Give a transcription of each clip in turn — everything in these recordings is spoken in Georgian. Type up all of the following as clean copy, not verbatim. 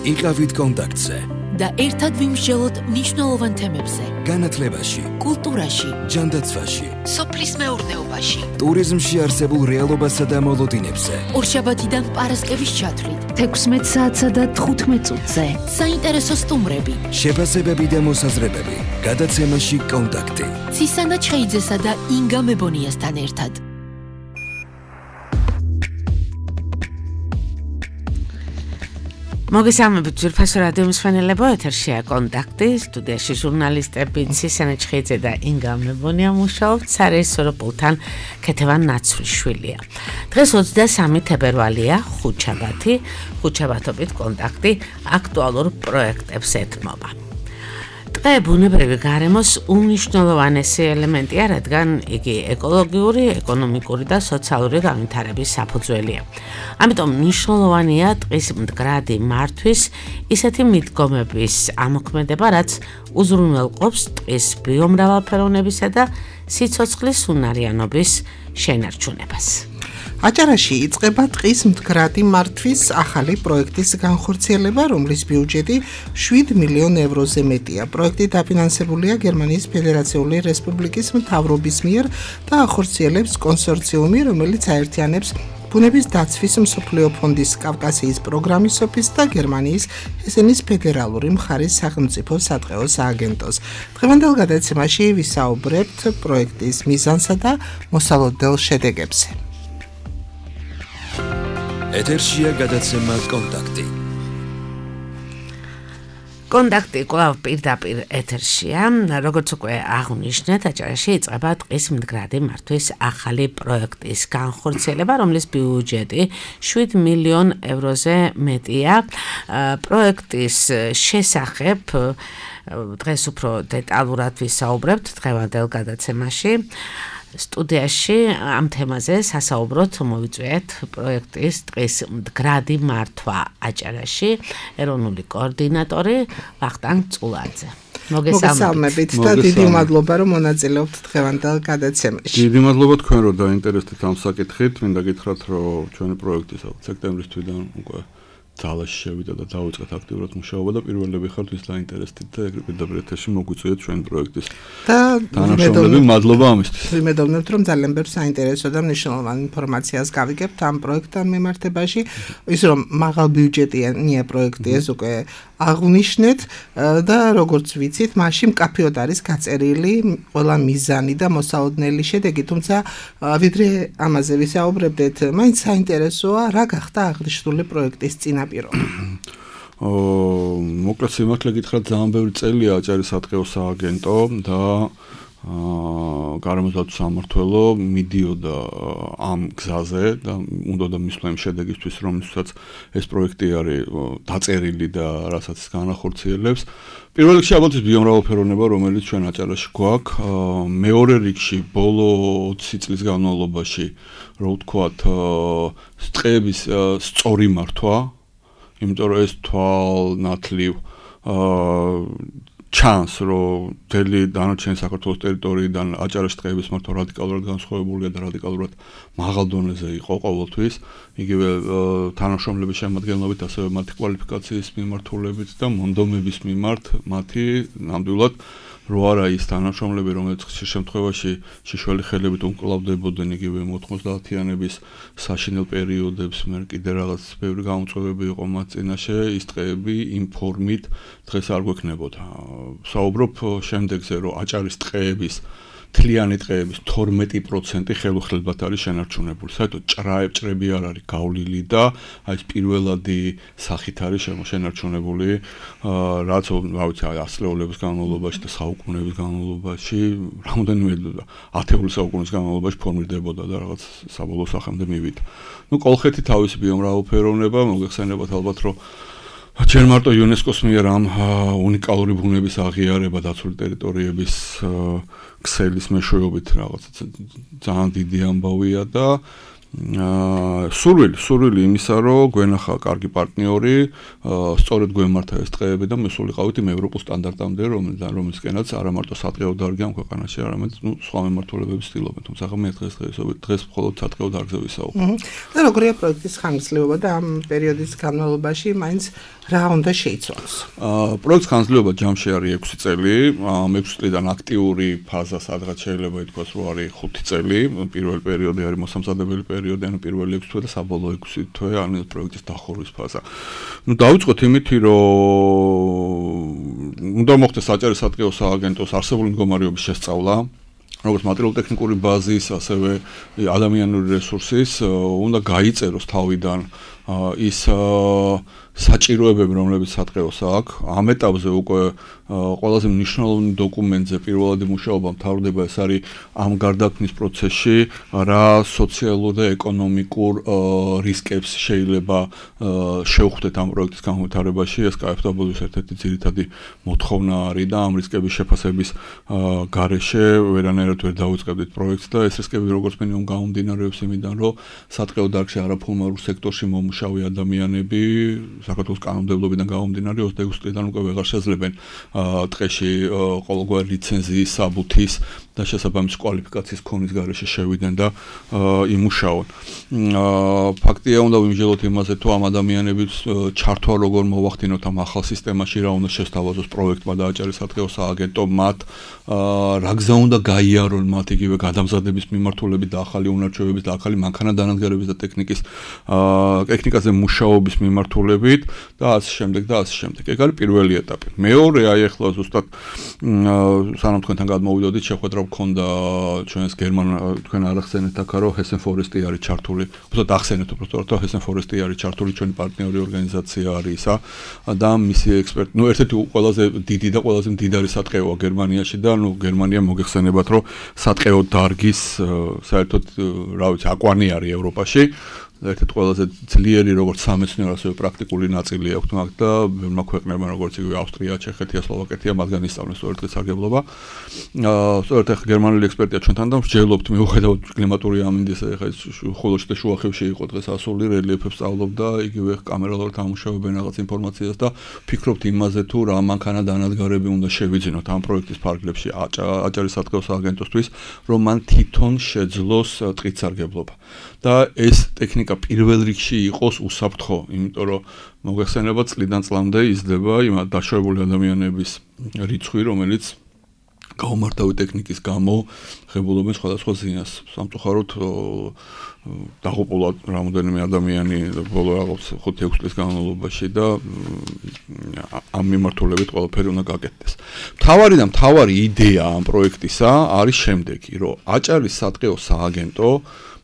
იყავით კონტაქტზე და ერთად ვიმსჯელოთ მნიშვნელოვან თემებზე. განათლებაში, კულტურაში, ჯანდაცვაში, სოფლის მეურნეობაში, ტურიზმში არსებულ რეალობასა და მოლოდინებზე. ორშაბათიდან პარასკევის ჩათვლით 16 საათსა და 15 წუთზე. საინტერესო სტუმრები, შეფასებები და მოსაზრებები. გადაცემაში კონტაქტი. ცისანა ჩხეიძესა და ინგა მებონიასთან ერთად. მოგესალმებით ძვირფასო რადიო მსმენელებო, ეთერშია კონტაქტი, სტუდიაში ჟურნალისტები ცისანა ჩხეიძე და ინგა მებონია მუშაობთ, სარეჟისორო პულტთან ქეთევან ნაცვლიშვილია. დღეს 23 თებერვალია, ხუთშაბათი, ხუთშაბათობით კონტაქტი აქტუალურ პროექტებს ეთმობა. ტყე ბუნებრივი გარემოს უმნიშვნელოვანესი ელემენტია, რადგან იგი ეკოლოგიური, ეკონომიკური და სოციალური განვითარების საფუძველია. ამიტომ მნიშვნელოვანია ტყის მდგრადი მართვის ისეთი მიდგომების ამოქმედება, რაც უზრუნველყოფს ტყის ბიომრავალფეროვნებისა და სიცოცხლის უნარიანობის შენარჩუნებას. აჭარაში იწყება ტყის მდგრადი მართვის ახალი პროექტის განხორციელება, რომლის ბიუჯეტი 7 მილიონ ევროზე მეტია. პროექტი დაფინანსებულია გერმანიის ფედერაციული რესპუბლიკის მთავრობის მიერ და ახორციელებს კონსორციუმი, რომელიც აერთიანებს ბუნების დაცვის მსოფლიო ფონდის კავკასიის პროგრამის ოფისს და გერმანიის ჰესენის ფედერალური მხარის სახელმწიფო სატყეო სააგენტოს. დღევანდელ გადაცემაში ვისაუბრებთ პროექტის მიზანსა და მოსალოდნელ შედეგებზე. ეთერშია გადაცემა კონტაქტი. კონტაქტი კვლავ პირდაპირ ეთერშია, როგორც უკვე აღვნიშნეთ, აჭარაში იწყება ტყის მდგრადი მართვის ახალი პროექტის განხორციელება, რომლის ბიუჯეტი 7 მილიონ ევროზე მეტია. პროექტის შესახებ დღეს უფრო დეტალურად ვისაუბრებთ დღევანდელ გადაცემაში. სტუდიაში ამ თემაზე სასაუბროთ მოვიწვიეთ პროექტის ტყის მდგრადი მართვა აჭარაში ეროვნული კოორდინატორი ვახტანგ წულაძე. მოგესალმებით და დიდი მადლობა რომ მონაწილეობთ დღევანდელ გადაცემაში. დიდი მადლობა თქვენ რომ დაინტერესდით ამ საკითხით. მინდა გითხრათ რომ ჩვენი პროექტი სექტემბრის თვიდან უკვე ძალაში შევიდა და დავიწყეთ აქტიურად მუშაობა და პირველები ხართ ვის დაინტერესდით და ეგრე პირდაპირ ეთერში მოგვიწვიეთ ჩვენი პროექტის თანამშრომლები. მადლობა ამისთვის. ვიმედოვნებთ რომ ძალიან ბევრ საინტერესო და მნიშვნელოვან ინფორმაციას გავიგებთ ამ პროექტთან მიმართებაში. ის რომ მაღალ ბიუჯეტიანია პროექტი ეს უკვე აღვნიშნეთ და როგორც ვიცით, მასში მკაფიოდ არის გაწერილი ყველა მიზანი და მოსალოდნელი შედეგი, თუმცა ვიდრე ამაზე ვისაუბრებდეთ, მაინც საინტერესოა რა გახდა აღნიშნული პროექტის წინაპირობა. მოკლედ სიმართლე გითხრათ, ძალიან ბევრი წელია აჭარის სატყეო სააგენტო და გარემოს დაცვის სამმართველო მიდიოდა ამ გზაზე და უნდა და მისვლა იმ შედეგისთვის, რომელსაც ეს პროექტი არის დაწერილი და რასაც განახორციელებს. პირველ რიგში ალბათ ის ბიომრავალფეროვნება, რომელიც ჩვენ აჭარაში გვაქვს. მეორე რიგში ბოლო 20 წლის განმავლობაში, რო ვთქვათ, ტყეების სწორი მართვა, იმიტომ რომ ეს თვალნათლივ ჩანს, რომ მთელი დანარჩენი საქართველოს ტერიტორიიდან აჭარაში ტყეების მართვა რადიკალურად განსხვავებულია და რადიკალურად მაღალ დონეზე იყო ყოველთვის. იგივე თანამშრომლების შემადგენლობით, ასევე მათი კვალიფიკაციის მიმართულებით და მონდომების მიმართ მათი ნამდვილად რო არა ის თანამშრომლები, რომელიც ხშირ შემთხვევაში შიშველი ხელებით უმკლავდებოდნენ იგივე 90-იანების საშინელ პერიოდებს, მე კიდე რაღაც ბევრი გამოწვევები იყო მათ წინაშე, ის ტყეები იმ ფორმით დღეს არ გვექნებოდა. საუბრობ შემდეგზე, რომ აჭარის ტყეების თლიანი ტყეების 12% ხელუხლებად არის შენარჩუნებული. საერთოდ ჭრები არ არის გავლილი და აი ეს პირველადი სახით არის შენარჩუნებული, რაც რა ვიცი, ასწლეულების განმავლობაში და საუკუნეების განმავლობაში, რამოდენიმე ათეული საუკუნის განმავლობაში ფორმირდებოდა და რაღაც საბოლოო სახემდე მივიდა. ნუ კოლხეთი თავისი ბიომრავალფეროვნება, მოგეხსენებათ ალბათ, რომ ჯერ მარტო იუნესკოს მიერ ამ უნიკალური ბუნების აღიარება დაცული ტერიტორიების ქსელის მეშვეობით რაღაც ძალიან დიდი ამბავია და სურვილი იმისა, რომ გვენახა კარგი პარტნიორი, სწორედ გვემართა ეს ტყეები და მე სულიყავით იმ ევროპულ სტანდარტამდე, რომელისკენაც არა მარტო სატყეო დარგი ამ ქვეყანაში, არამედ სხვა მიმართულებები ცდილობენ. თუმცა მე დღეს მხოლოდ სატყეო დარგზე ვისაუბრებ. და როგორია პროექტის ხანგრძლივობა და ამ პერიოდის განმავლობაში მაინც რა უნდა შეიცვალოს? პროექტის ხანგრძლივობა ჯამში არის 6 წელი, 6 წლიდან აქტიური ფაზა სადღაც შეიძლება ითქვას, რომ არის 5 წელი, პირველი პერიოდი არის მოსამზადებელი პერიოდი, ანუ პირველი 6 თვე და საბოლოო 6 თვე არის პროექტის დახურვის ფაზა. დავიწყოთ იმითი, რომ უნდა მოხდეს საჭირო სატყეო სააგენტოს არსებული მდგომარეობის შესწავლა, როგორც მატერიალურ-ტექნიკური ბაზის, ასევე ადამიანური რესურსის, უნდა გაიწეროს თავიდან ის საჭიროებები, რომლებიც სატყეოს აქვს. ამ ეტაპზე უკვე ყველაზე მნიშვნელოვანი დოკუმენტზე პირველადი მუშაობა მთავრდება, ეს არის ამ გარდაქმნის პროცესში, რა სოციალურ და ეკონომიკურ რისკებს შეიძლება შევხვდეთ ამ პროექტის განვითარებაში. ეს KfW-ს ერთ-ერთი ძირითადი მოთხოვნა არის და ამ რისკების შეფასების გარეშე ვერანაირად ვერ დავიწყებდით პროექტს და ეს რისკები როგორც მინიმუმ გამომდინარეობს იმიდან, რომ სატყეო დარგში არაფორმალურ სექტორში მომუშავე ადამიანები საქართველოს კანონმდებლობიდან გამომდინარე 26 წლიდან უკვე ვეღარ შეძლებენ ტყეში ყოველგვარი ლიცენზიის, საბუთის და შესაბამის კვალიფიკაციის ქონის გარეშე შევიდნენ და იმუშაონ. ფაქტია, უნდა ვიმსჯელოთ იმაზე, თუ ამ ადამიანების ჩართვა როგორ მოვახდინოთ ამ ახალ სისტემაში, რა უნდა შესთავაზოს პროექტმა და აჭარის სატყეო სააგენტომ მათ, რა გზა უნდა გაიარონ მათ იგივე გადამზადების მიმართულებით და ახალი უნარჩვევების და ახალი მანქანადანადგარების და ტექნიკაზე მუშაობის მიმართულებით და ასე შემდეგ და ასე შემდეგ. ეგ არის პირველი ეტაპი. მეორე აი ახლა ზუსტად სანამ თქვენთან გადმოვიდოდით, შეხვედრა მქონდა ჩვენს თქვენ არ ახსენეთ აქ, რომ Hessen Forest არის ჩართული. უბრალოდ ახსენეთ უბრალოდ, რომ Hessen Forest არის ჩართული, ჩვენი პარტნიორი ორგანიზაცია არის ისა და მისი ექსპერტი, ერთ-ერთი ყველაზე დიდი და ყველაზე მდიდარი სატყეოა გერმანიაში და გერმანია მოგეხსენებათ, რომ სატყეო დარგის საერთოდ რა ვიცი, აკვანი არის ევროპაში. ერთ-ერთი ყველაზე ძლიერი როგორც სამეცნიერო, ასევე პრაქტიკული ნაწილი აქვს მაგ და ბევრმა ქვეყნებმა როგორც იგივე ავსტრია, ჩეხეთია, სლოვაკეთია მათგან ისწავლეს სწორედ სარგებლობა. სწორედ ახლა გერმანული ექსპერტია ჩვენთან და ვსჯელობთ მიუხედავად კლიმატური ამინდის ახლა ხოლოში და შუახევში იყო დღეს ასული რელიეფებს სწავლობდა, იგივე კამერალურად ამუშავებენ რაღაც ინფორმაციას და ფიქრობთ იმაზე თუ რა მანქანადანადგარები უნდა შევიძინოთ ამ პროექტის ფარგლებში აჭარის სატყეო სააგენტოსთვის, რომ მან თვითონ შეძლოს ტყით სარგებლობა. და ეს ტექნიკა პირველ რიგში იყოს უსაფრთხო, იმიტომ რომ მოგეხსენება წლიდან წლამდე იზრდება იმ დაშვებული ადამიანების რიცხვი, რომელიც გაუმართავი ტექნიკის გამო ღებულობენ სხვადასხვა ზიანს. სამწუხაროდ დაღუპულა რამოდენიმე ადამიანი ბოლო რაღაც 5-6 წლის განმავლობაში და ამ მიმართულებით ყველაფერი უნდა გაკეთდეს. მთავარი იდეა ამ პროექტისა არის შემდეგი, რომ აჭარის სატყეო სააგენტო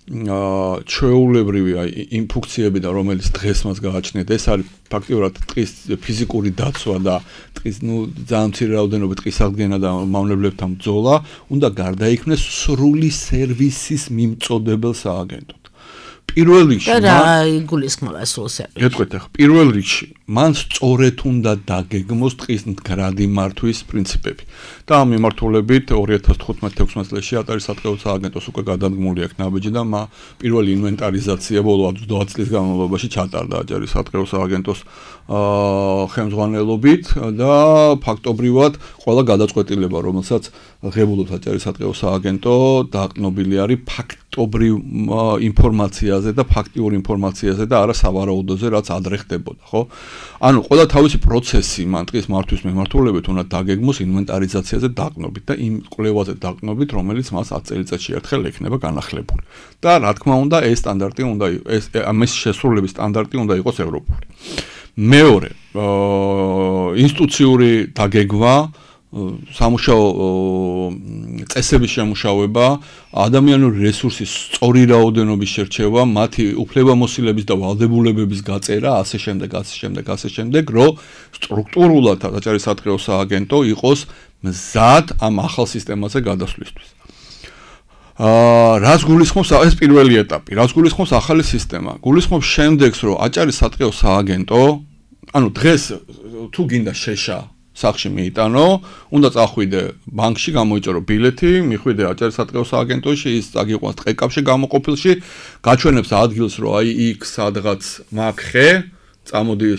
ჩვეულებრივი იმ ფუნქციებიდან, რომელიც დღეს მას გააჩნიათ, ეს არის ფაქტიურად ტყის ფიზიკური დაცვა და ტყის ძალიან მცირე რაოდენობით ტყის აღდგენა და მავნებლებთან ბრძოლა, უნდა გარდაიქმნეს სრული სერვისის მიმწოდებელ სააგენტოდ. პირველ რიგში რა იგულისხმება სრულ სერვისს? გეტყვით ახლა, პირველ რიგში მან სწორედ უნდა დაგეგმოს ტყის მდგრადი მართვის პრინციპები. და ამ მიმართულებით 2015-16 წელს აჭარის სატყეო სააგენტოს უკვე გადადგმული აქვს ნაბიჯი და პირველი ინვენტარიზაცია ბოლო 20 წლის განმავლობაში ჩატარდა აჭარის სატყეო სააგენტოს ხელმძღვანელობით და ფაქტობრივად ყველა გადაწყვეტილება, რომელსაც ღებულობს აჭარის სატყეო სააგენტო, დაყრდნობილი არის ფაქტობრივ ინფორმაციაზე და ფაქტიურ ინფორმაციაზე და არა სავარაუდოზე, რაც ადრე ხდებოდა, ხო? ანუ ყველა თავისი პროცესი მან ტყის მართვის მიმართულებით უნდა დაგეგმოს ინვენტარიზაციაზე დაყრდნობით და იმ კვლევაზე დაყრდნობით, რომელიც მას 10 წელიწადში ერთხელ ექნება განახლებული. და რა თქმა უნდა, ეს სტანდარტი უნდა ეს ამის შესრულების სტანდარტი უნდა იყოს ევროპული. მეორე, ინსტიტუციური დაგეგმა, სამუშაო წესების შემუშავება, ადამიანური რესურსის სწორი რაოდენობის შერჩევა, მათი უფლებამოსილების და ვალდებულებების გაწერა, ასე შემდეგ, რომ სტრუქტურულად აჭარის სატყეო სააგენტო იყოს მზად ამ ახალ სისტემაზე გადასვლისთვის. რას გულისხმობს ეს პირველი ეტაპი? რას გულისხმობს ახალი სისტემა? გულისხმობს შემდეგს, რომ აჭარის სატყეო სააგენტო, ანუ დღეს თუ გინდა შეშა სახში მიიტანო, უნდა წახვიდე ბანკში, გამოიწერო ბილეთი, მიხვიდე აჭარისატყეო სააგენტოში, ის წაგიყვანს ტყეკავში გამოყოფილში, გაჩვენებს ადგილს, რომ აი იქ სადღაც მაგ ხე, წამოდი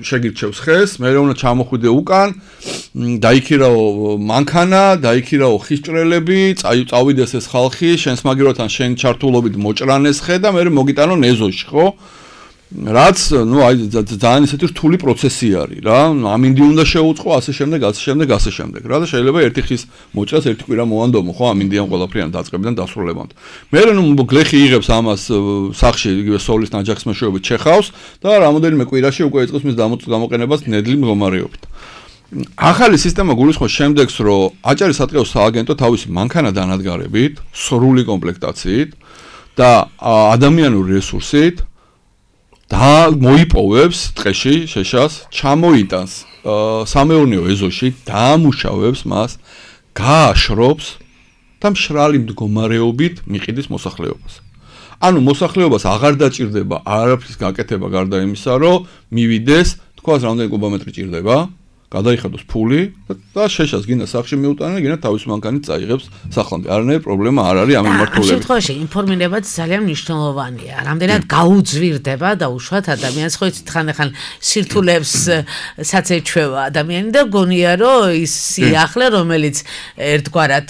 შეგირჩევს ხეს, მე უნდა ჩამოხვიდე უკან, დაიქირაო მანქანა, დაიქირაო ხისჭრელები, წავიდეს ეს ხალხი, შენს მაგიროთან შენ ჩართულობით მოჭრანეს ხე და მე მოგიტანო ეზოში, ხო? რაც, ну, აი ძალიან ისეთი რთული პროცესი არის რა. ამინდი უნდა შეუწყო, ასე შემდეგ. რა და შეიძლება ერთი ხის მოჭრას ერთი კვირა მოანდომო, ხო, ამინდიან ყველაფრიან დაწყებიდან დასრულებამდე. მე ნუ გლეხი იღებს ამას სახში, იგივე სოლის ნაჯახის მეშვეობით ჩეხავს და რამოდენიმე კვირაში უკვე იწყებს მის გამოყენებას ნედლი მდგომარეობით. ახალი სისტემა გულისხმობს შემდეგს, რომ აჭარისატყეო სააგენტო თავისი მანქანა დანადგარებით, სრული კომპლექტაციით და ადამიანური რესურსით და მოიპოვებს ტყეში შეშას, ჩამოიტანს სამეურნეო ეზოში, დაამუშავებს მას, გააშრობს და მშრალი მდგომარეობით მიყიდის მოსახლეობას. ანუ მოსახლეობას აღარ დაჭირდება არაფრის გაკეთება გარდა იმისა, რომ მივიდეს, თქვას რამდენი კუბომეტრი ჭირდება, გადაიხადოს ფული და შეშას გინდა სახში მიუტანა, გინდა თავის მანქანით წაიღებს სახლამდე. არანაირი პრობლემა არ არის ამ მიმართულებით. ამ შემთხვევაში ინფორმირებაც ძალიან მნიშვნელოვანია. რამდენად გაუძვირდება და უშუალოდ ადამიანს ხო იცით ხან სირთულებს საცეჩვევა ადამიანი და გონია რომ ის სიახლე რომელიც ერთგვარად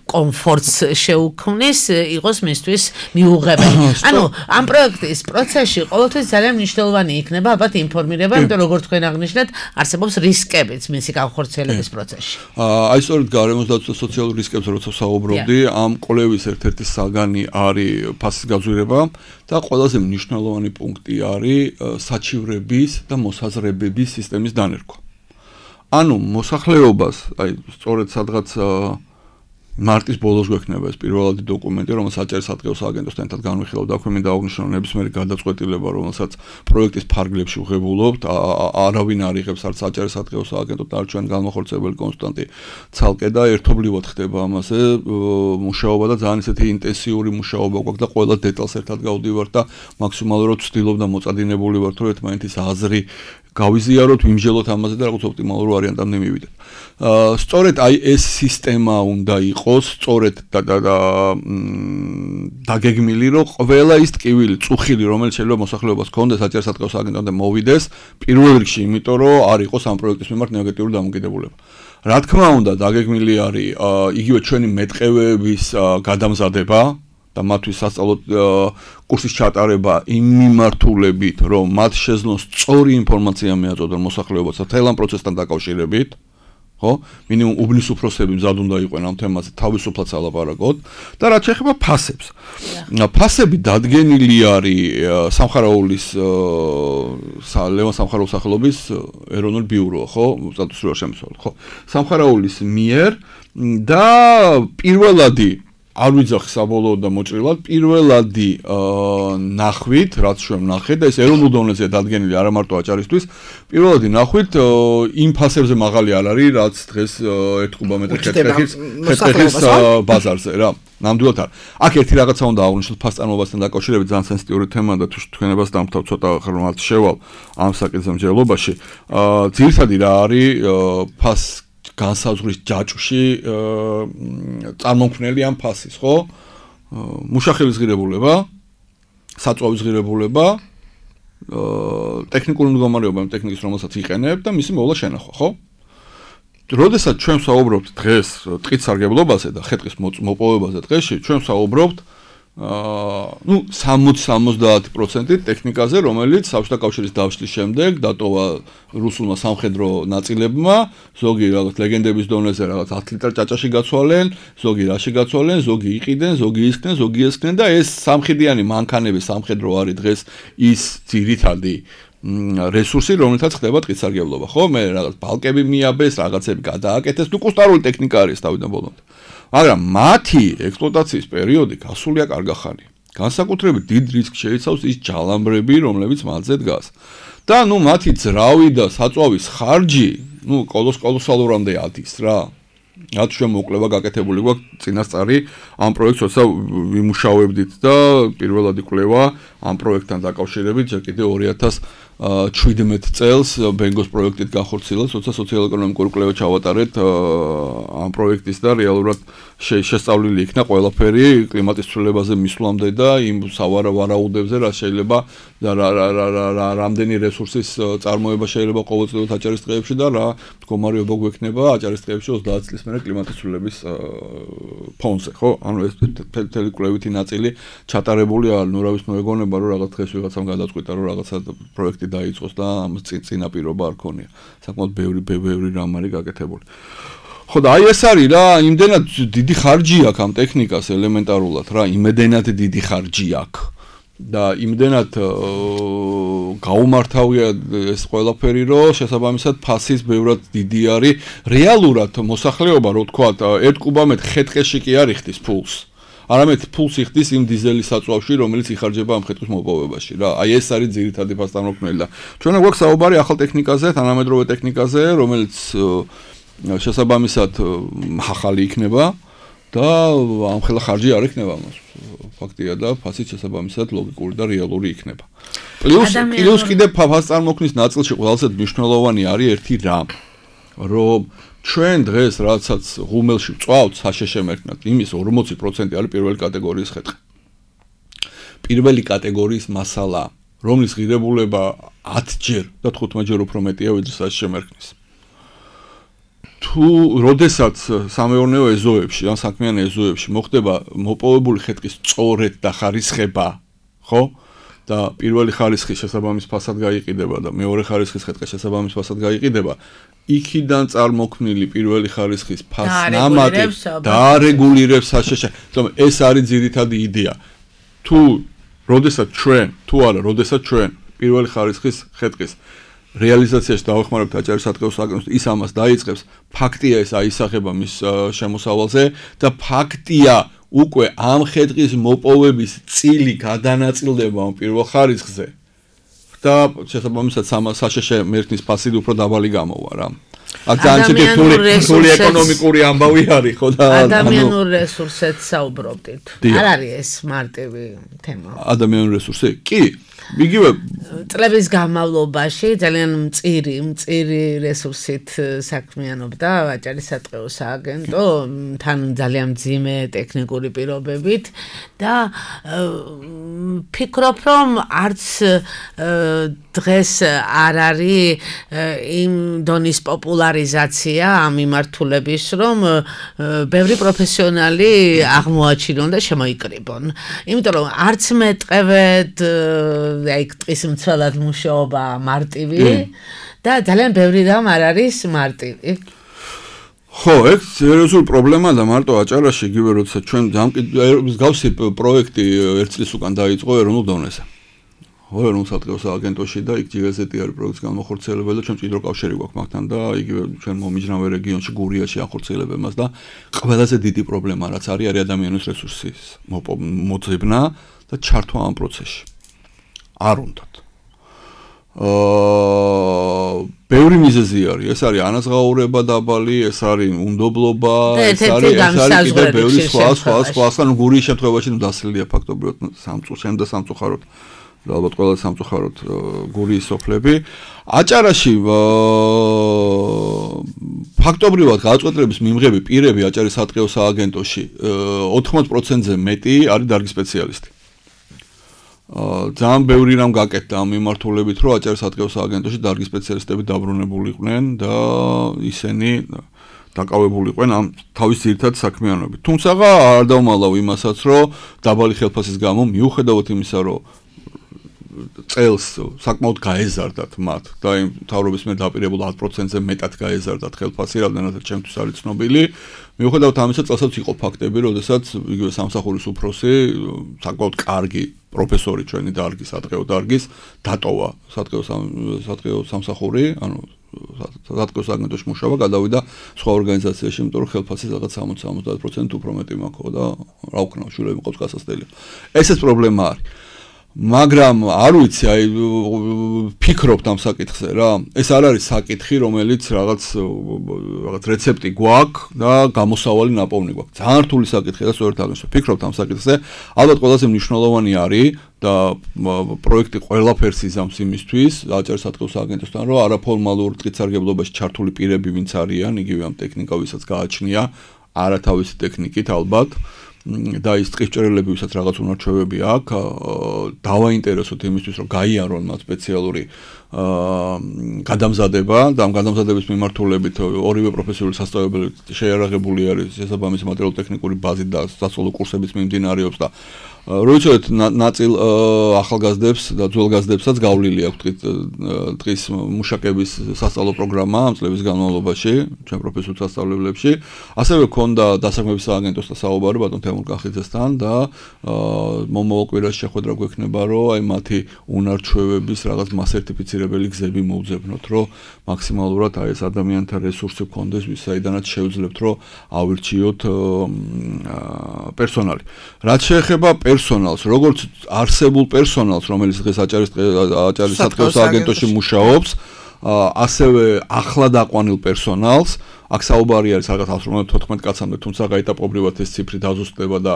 კომფორტს შეუქმნის იყოს მისთვის მიუღებელი. ანუ ამ პროექტის პროცესში ყოველთვის ძალიან მნიშვნელოვანი იქნება ალბათ ინფორმირება, იმიტომ როგორც თქვენ აღნიშნეთ, არსებობს რისკებიც მისი განხორციელების პროცესში. აი სწორედ გარემოს დაცვა სოციალურ რისკებზე როცა საუბრობდი, ამ კვლევის ერთ-ერთი საგანი არის ფასის გაძვირება და ყველაზე მნიშვნელოვანი პუნქტი არის საჩივრების და მოსაზრებების სისტემის დანერგვა. ანუ მოსახლეობას, აი სწორედ სადღაც მარტის ბოლოს გვექნება ეს პირველადი დოკუმენტი, რომელსაც აჭარისატყეო სააგენტოსთან ერთად განვიხილავთ, აქვე მინდა აღნიშნო ნებისმიერი გადაწყვეტილება, რომელსაც პროექტის ფარგლებში ვღებულობთ, არავინ არ იღებს არც აჭარისატყეო სააგენტო და არც ჩვენ განმახორციელებელი კონსტანტი ცალკე და ერთობლივად ხდება ამაზე მუშაობა და ძალიან ისეთი ინტენსიური მუშაობა გვაქვს და ყველა დეტალს ერთად გავდივართ და მაქსიმალურად ვცდილობ და მოწადინებული ვართ, რომ ერთმანეთის აზრი გავიზიაროთ, ვიმჟელოთ ამაზე და რაღაც ოპტიმალურ ვარიანტამდე მივიდეთ. სწორედ აი ეს სისტემა უნდა იყოს, სწორედ დაგეგმილი, რომ ყველა ის ტკივილი, წუხილი, რომელიც შეიძლება მოსახლეობას ჰქონდეს აჭარისატყეო სააგენტომდე მოვიდეს, პირველ რიგში, იმიტომ რომ არ იყოს ამ პროექტის მიმართ ნეგატიური დამოკიდებულება. რა თქმა უნდა, დაგეგმილი არის იგივე ჩვენი მეტყევეების გადამზადება და მათთვის სასწავლო კურსის ჩატარება იმ მიმართულებით, რომ მათ შეძლონ სწორი ინფორმაცია მიაწოდონ მოსახლეობას მთელ ამ პროცესთან დაკავშირებით, ხო? მინიმუმ უბნის უფროსები მზად უნდა იყვნენ ამ თემაზე თავისუფლად ალაპარაკოთ და რაც შეეხება ფასებს. ფასები დადგენილი არის სამხარაულის ლევან სამხარაულის სახელობის ეროვნული ბიურო, ხო? სტატუსური შემოსავალი, ხო? სამხარაულის მიერ და პირველადი არ ვიძახი საბოლოოდ და მოჭრილად, პირველადი ნახვით, რაც ჩვენ ვნახეთ და ეს ეროვნულ დონეზე დადგენილი არა მარტო აჭარისთვის, პირველადი ნახვით იმ ფასებზე მაღალი არ არის, რაც დღეს 1 კუბომეტრი ხეთქეთის ბაზარზე რა. ნამდვილად არ. აქ ერთი რაღაცა უნდა აღვნიშნოთ ფასწარმოებასთან დაკავშირებით, ძალიან სენსიტიური თემა და თუ თქვენებას დამთავრ ცოტა ხმალთ შევალ ამ საკითხზე მსჯელობაში. ძირითადი რა არის ფას განსაზღვრის ჯაჭვში წარმომქმნელი ამ ფასის, ხო? მუშახელის ღირებულება, საწვავის ღირებულება, ტექნიკური მდგომარეობა იმ ტექნიკის, რომელსაც იყენებ და მისი მოვლა შენახვა, ხო? როდესაც ჩვენ საუბრობთ დღეს ტყის სარგებლობაზე და ხე-ტყის მოპოვებაზე დღეში, ჩვენ საუბრობთ 60-70% ტექნიკაზე, რომელიც საბჭოთა კავშირის დაშლის შემდეგ დატოვა რუსულმა სამხედრო ნაწილებმა, ზოგი რაღაც ლეგენდების დონეზე რაღაც 10 ლიტარ ჭაჭაში გაცვალენ, ზოგი რაში გაცვალენ, ზოგი იყიდნენ, ზოგი ისქნენ, ზოგი ესქნენ და ეს სამხედრიანი მანქანები სამხედრო არის დღეს ის ძირითადი რესურსი, რომელთაც ხდება ტყის სარგებლობა, ხო? მე რაღაც ბალკები მიაბეს, რაღაცები გადააკეთეს, ნუ კუსტარული ტექნიკა არის თავიდან ბოლომდე. მაგრამ მათი ექსპლუატაციის პერიოდი გასულია კარგახანი. განსაკუთრებით დიდ რისკს შეიცავს ის ჯალამბრები, რომლებიც მათზე დგას. და მათი ძრავი და საწვავის ხარჯი, კოლოსალურამდე ადის რა. რაც შემოკლება გაკეთებული გვაქვს წინასწარი ამ პროექტს როცა ვიმუშავებდით და პირველადი კვლევა ამ პროექტთან დაკავშირებით ჯერ კიდევ 2017 წელს ბენგოს პროექტით განხორციელდა, როცა სოციალ-ეკონომიკური კვლევა ჩავატარეთ ამ პროექტის და რეალურად შესწავლილი იქნა ყველაფერი კლიმატის ცვლილებაზე მისვლამდე და იმ სავარაუდებზე რა შეიძლება და რამდენი რესურსის წარმოება შეიძლება ყოველწლიურად აჭარის ტყეებში და რა მდგომარეობა გვექნება აჭარის ტყეებში 30 წლის მერე კლიმატის ცვლილების ფონზე, ხო? ანუ ეს თელი კვლევითი ნაწილი ჩატარებული არ, ნუ რა ვიცი, მეგონება რომ რაღაც დღეს ვიღაცამ გადაწყვიტა რომ რაღაცა პროექტი დაიწყოს და ამ წინაპირობა არ ქონია. საკმაოდ ბევრი რამ არის გაკეთებული. ხო და აი ეს არის რა, იმდენად დიდი ხარჯი აქვს ამ ტექნიკას ელემენტარულად რა, იმედენად დიდი ხარჯი აქვს. და იმდენად გაუმართავია ეს ყველაფერი, რომ შესაბამისად ფასის ბევრად დიდი არის. რეალურად მოსახლეობა, რო ვთქვათ, 1 კუბამეტრ ხე-ტყეში კი არ იხდის ფულს. არამედ ფულს იხდის იმ დიზელის საწვავში, რომელიც იხარჯება ამ ხე-ტყის მოპოვებაში რა. აი ეს არის ძირითადი ფასტანმოქმნელი და ჩვენა გვაქვს საუბარი ახალ ტექნიკაზე, თანამედროვე ტექნიკაზე, რომელიც შესაბამისად ახალი იქნება და ამ ხელა ხარჯი არ იქნება მას. ფაქტია და ფასიც შესაბამისად ლოგიკური და რეალური იქნება. პლუს კიდევ ფასწარმოქმნის ნაწილში ყველაზე მნიშვნელოვანი არის ერთი რამ, რომ ჩვენ დღეს რაცაც ღუმელში ვწვავთ საშეშე მერქნად, იმის 40% არის პირველი კატეგორიის ხე-ტყე. პირველი კატეგორიის მასალა, რომლის ღირებულება 10-ჯერ და 15-ჯერ უფრო მეტია ვიდრე საშეშე მერქნის. თუ როდესაც სამეურნეო ეზოებში, ან საქმიანი ეზოებში მოხდება მოპოვებული ხე-ტყის სწორედ დახარისხება, ხო? და პირველი ხარისხის შესაბამის ფასად გაიყიდება და მეორე ხარისხის ხე-ტყის შესაბამის ფასად გაიყიდება, იქიდან წარმოქმნილი პირველი ხარისხის ფასნამატი დაარეგულირებს საშეშე. თუმცა ეს არის ძირითადი იდეა. როდესაც ჩვენ პირველი ხარისხის ხე-ტყის რეალიზაციაში დავეხმარებთ აჭარის სატყეო სააგენტოს, ის ამას დაიწყებს, ფაქტია ეს აისახება მის შემოსავალზე და ფაქტია უკვე ამ ხე-ტყის მოპოვების წილი გადანაწილდება ამ პირველ ხარისხზე და შესაბამისად საშეშე მერქნის ფასი უფრო დაბალი გამოვა რა. აქ ძალიან რთული ეკონომიკური ამბავი არის ხო და ადამიანურ რესურსებს საუბრობდით. არ არის ეს მარტივი თემა. ადამიანური რესურსი? კი. იგივე წლების განმავლობაში ძალიან მწირი რესურსით საქმიანობდა აჭარის სატყეო სააგენტო, თან ძალიან მძიმე ტექნიკური პირობებით და ფიქრობ, რომ არც დღეს არ არის იმ დონის პოპულარიზაცია ამ მიმართულების, რომ ბევრი პროფესიონალი აღმოაჩინონ და შემოიკრიბონ. იმიტომ რომ არც მეტყევედ აი ტყის მცველად მუშაობა მარტივი და ძალიან ბევრი რამ არ არის მარტივი. ხო, ეს სერიოზული პრობლემაა და მარტო აჭარაში იგივე როცა ჩვენ მსგავსი პროექტი 1 წლის უკან დაიწყო ეროვნულ დონეზე. ხო, ეროვნულ სატყეო სააგენტოში და იქ ჯიგაზეთი არის პროექტის განმახორციელებელი და ჩვენ მჭიდრო კავშირი გვაქვს მაგთან და იგივე ჩვენ მომიჯნავე რეგიონში გურიაში ახორციელებენ მას და ყველაზე დიდი პრობლემა რაც არის ადამიანის რესურსის მოძებნა და ჩართვა ამ პროცესში. არ უნდათ. ბევრი მიზეზი არის. ეს არის ანაზღაურება დაბალი, ეს არის უნდობლობა, ეს არის კიდე ბევრი სხვა ანუ გურიის შემთხვევაში დასლილია ფაქტობრივად სამწუხაროდ და ალბათ ყველა სამწუხაროდ გურიის სოფლები. აჭარაში ფაქტობრივად გააწყოტრების მიმღები პირები აჭარის სატყეო სააგენტოში 80%-ზე მეტი არის დარგის სპეციალისტი. ძალიან ბევრი რამ გაკეთდა ამ მიმართულებით, რომ აჭარის სატყეო სააგენტოში დარგის სპეციალისტები დაბრუნებულიყვნენ და ისინი დაკავებულიყვნენ ამ თავის ძირითად საქმიანობით. თუმცა არ დავმალავ იმასაც, რომ დაბალი ხელფასის გამო მიუხედავად იმისა, რომ წელს საკმაოდ გაეზარდათ მათ და იმ მთავრობის მიერ დაპირებულ 10%-ზე მეტად გაეზარდათ ხელფასი, რამდენადაც ჩემთვის არის ცნობილი. მიუხედავად ამისა, წელსაც იყო ფაქტები, როდესაც იგივე სამსახურის უფროსი, საკმაოდ კარგი პროფესორი ჩვენი დარგის, სატყეო დარგის, დატოვა სატყეო სამსახური, ანუ სატყეო სააგენტოში მუშაობა, გადავიდა სხვა ორგანიზაციაში, იმიტომ რომ ხელფასი რაღაც 60-70% უფრო მეტი მაქვს და რა ვქნა, შვილები მყავს გასასწრელი. ესეც პრობლემა არის. მაგრამ არ ვიცი, აი ფიქრობთ ამ საკითხზე რა. ეს არ არის საკითხი, რომელიც რაღაც რეცეპტი გვაქვს და გამოსავალი ნაპოვნი გვაქვს. ძალიან რთული საკითხია და სწორედ ამას ფიქრობთ ამ საკითხზე. ალბათ ყველაზე მნიშვნელოვანი არის და პროექტი ყველაფერს იზამს იმისთვის, აჭარ-საწყის აგენტოსთან, რომ არაფორმალურ ტყით-სარგებლობაში ჩართული პირები ვინც არიან, იგივე ამ ტექნიკა ვისაც გააჩნია, არათავისი ტექნიკით ალბათ. და ის ტყისჭერელები, ვისაც რაღაც უნარჩვევები აქვს, დავაინტერესოთ იმისთვის, რომ გაიარონ მათ სპეციალური გადამზადება და ამ გადამზადების მიმართულებით ორივე პროფესიული სასწავლებელი შეიარაღებული არის შესაბამისი მატერიალურ-ტექნიკური ბაზით და სასწავლო კურსებიც მიმდინარეობს და როიცოდეთ ნაწილ ახალგაზრდებს და ძველგაზრდებსაც გავლილი აქვს ტყის მუშაკების სასწავლო პროგრამა ამ წლების განმავლობაში ჩვენ პროფესიულ სასწავლებლებში. ასევე ქონდა დასაქმების სააგენტოსთან საუბარი ბატონ თემურ კახიძესთან და მომავალ კვირაში შეხვედრა გვექნება, რომ აი მათი უნარჩვევების რაღაც მასერტიფიცირებელი გზები მოვძებნოთ, რომ მაქსიმალურად აი ეს ადამიანთა რესურსი გქონდეს, ვისაიდანაც შევძლებთ, რომ ავირჩიოთ პერსონალი. რაც შეეხება პერსონალს, როგორც არსებულ პერსონალს, რომელიც დღეს აჭარის-საწყის სააგენტოში მუშაობს, ასევე ახლად აყვანილ პერსონალს, აქ საუბარი არის რაღაც 114 კაცამდე, თუმცა გაიტაპობრივად ეს ციფრი დაზუსტდება და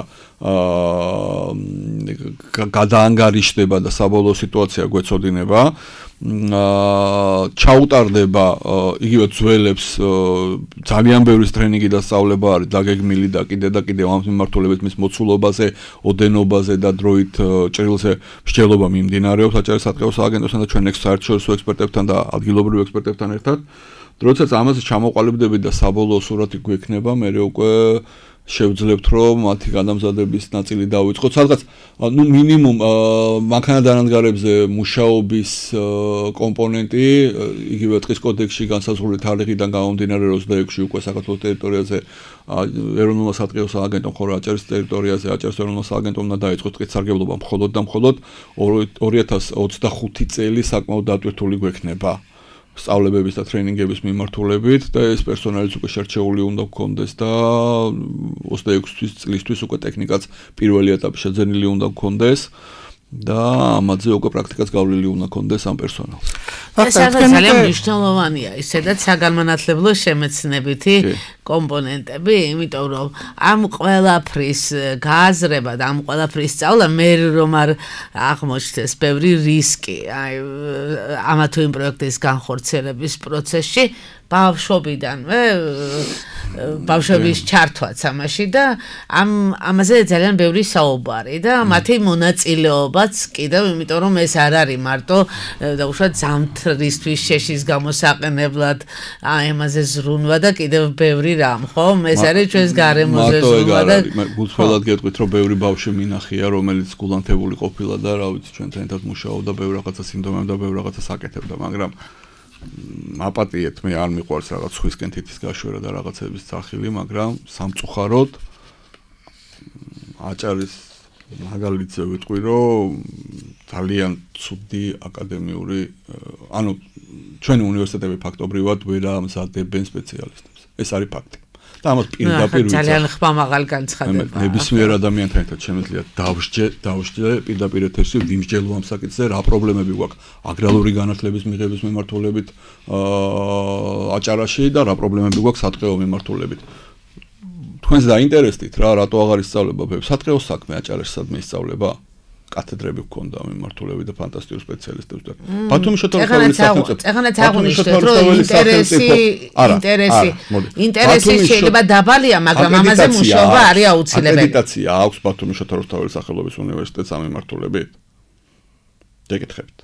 გადაანგარიშდება და საბოლოო სიტუაცია გვეწოდინება. ჩაუტარდება იგივე ძველებს ძალიან ბევრი ტრენინგი და სწავლება არის დაგეგმილი და კიდევ ამ მიმართულებით მის მოცულობაზე, ოდენობაზე და დროით ჭრილზე მსჯელობა მიმდინარეობს აჭარის-საწყის სააგენტოსთან და ჩვენ საერთაშორისო ექსპერტებთან და ადგილობრივ ექსპერტებთან ერთად. როდესაც ამაზე ჩამოყალიბდებით და საბოლოო სურათი გვექნება, მე უკვე შევძლებთ, რომ მათი გადამზადების ნაწილი დავიწყოთ. სადღაც მინიმუმ მანქანადანადგარებზე მუშაობის კომპონენტი, იგივე ტყის კოდექსში განსაზღვრული თარიღიდან გამომდინარე 26-ში უკვე საქართველოს ტერიტორიაზე ეროვნულმა საწყის სააგენტომ ხოლო აჭარის ტერიტორიაზე აჭარის ეროვნულმა სააგენტომ უნდა დაიწყოს ტყის სარგებლობა მხოლოდ და მხოლოდ 2025 წელი საკმაოდ დატვირთული გვექნება. სწავლებების და ტრენინგების მიმართულებით და ეს პერსონალიც უკვე შერჩეული უნდა გქონდეს და 26 წლისთვის უკვე ტექნიკაც პირველი ეტაპი შეძენილი უნდა გქონდეს და ამაზე უკვე პრაქტიკაც გავლილი უნდა გქონდეს ამ პერსონალს. ეს ძალიან მნიშვნელოვანია, ისედაც საგანმანათლებლო შემეცნებითი კომპონენტები, იმიტომ რომ ამ ყველაფრის გააზრება და ამ ყველაფრის სწავლა მე რომ არ აღმოჩნდეს ბევრი რისკი, აი ამა თუ იმ პროექტის განხორციელების პროცესში ბავშვობიდანვე ბავშვების ჩართვაც ამაში და ამაზე ძალიან ბევრი საუბარი და მათი მონაწილეობაც კიდევ, იმიტომ რომ ეს არ არის მარტო დაუშვათ ზამთრისთვის შეშის გამოსაყენებლად, ამაზე ზრუნვა და კიდევ ბევრი რამ, ხო? ეს არის ჩვენს გარემოზე ზრუნვა და გულწრფელად გეტყვით, რომ ბევრი ბავშვი მინახია, რომელიც გულანთებული ყოფილა და რა ვიცი, ჩვენთან ერთად მუშაობდა, ბევრ რაღაცას იმდომებდა, ბევრ რაღაცას აკეთებდა, მაგრამ აპატიეთ, მე არ მიყვარს რაღაც სხვისკენ თითის გაშვერა და რაღაცების სახილი, მაგრამ სამწუხაროდ აჭარის მაგალითზე ვიტყვი, რომ ძალიან ცუდი აკადემიური, ანუ ჩვენი უნივერსიტეტები ფაქტობრივად ვერ ამზადებენ სპეციალისტებს. ეს არის ფაქტი. და ამას პირდაპირ ვიცი. ძალიან ხმამაღალი განცხადება. ნებისმიერ ადამიანთან ერთად შემიძლია დავსჯე პირდაპირ ეთერში ვიმსჯელო ამ საკითხზე, რა პრობლემები გვაქვს აგრარული განათლების მიღების მიმართულებით აჭარაში და რა პრობლემები გვაქვს სატყეო მიმართულებით. თქვენს დაინტერესდით რა, რატო აღარ ისწავლება სატყეო საქმე აჭარაში სადმე ისწავლება? კათედრები გქონდა მიმართულებით და ფანტასტიკური სპეციალისტებს და ბათუმის შოთორთაველის სახელმწიფო. ეხლა აღნიშნეთ, რომ ინტერესი შეიძლება დაბალია, მაგრამ ამაზე მუშაობა არის აუცილებელი. აკრედიტაცია აქვს ბათუმის შოთორთაველის სახელობის უნივერსიტეტს ამ მიმართულებით? დაგეკითხებით.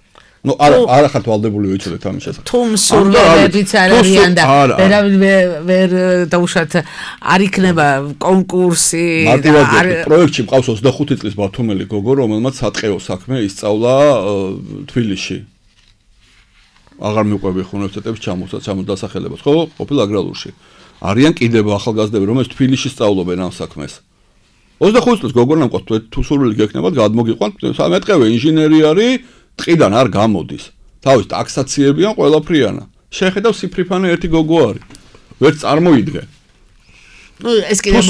ნუ არა ხართ ვალდებული ვიცოდეთ ამის შესახებ. თუ მსურველებიც არ არიან და ვერ დაუშვათ არ იქნება კონკურსი და პროექტში მყავს 25 წლის ბათუმელი გოგო, რომელმაც სატყეო საქმე ისწავლა თბილისში. აღარ მიყვები უნივერსიტეტებს ჩამოსასახელებას, ხო? ყოფილ აგრალურში. არიან კიდევ ახალგაზრდები, რომელთაც თბილისში სწავლობენ ამ საქმეს. 25 წლის გოგო ნამყავს თუ სურვილი გექნებათ, გადმოგიყვანთ, მეტყევე ინჟინერი არის, ტყიდან არ გამოდის. თავის ტაქსაციებიან ყველაფრიანა. შეხედავ სიფრიფანე ერთი გოგო არის. ვერც წარმოიდგე. ეს კიდე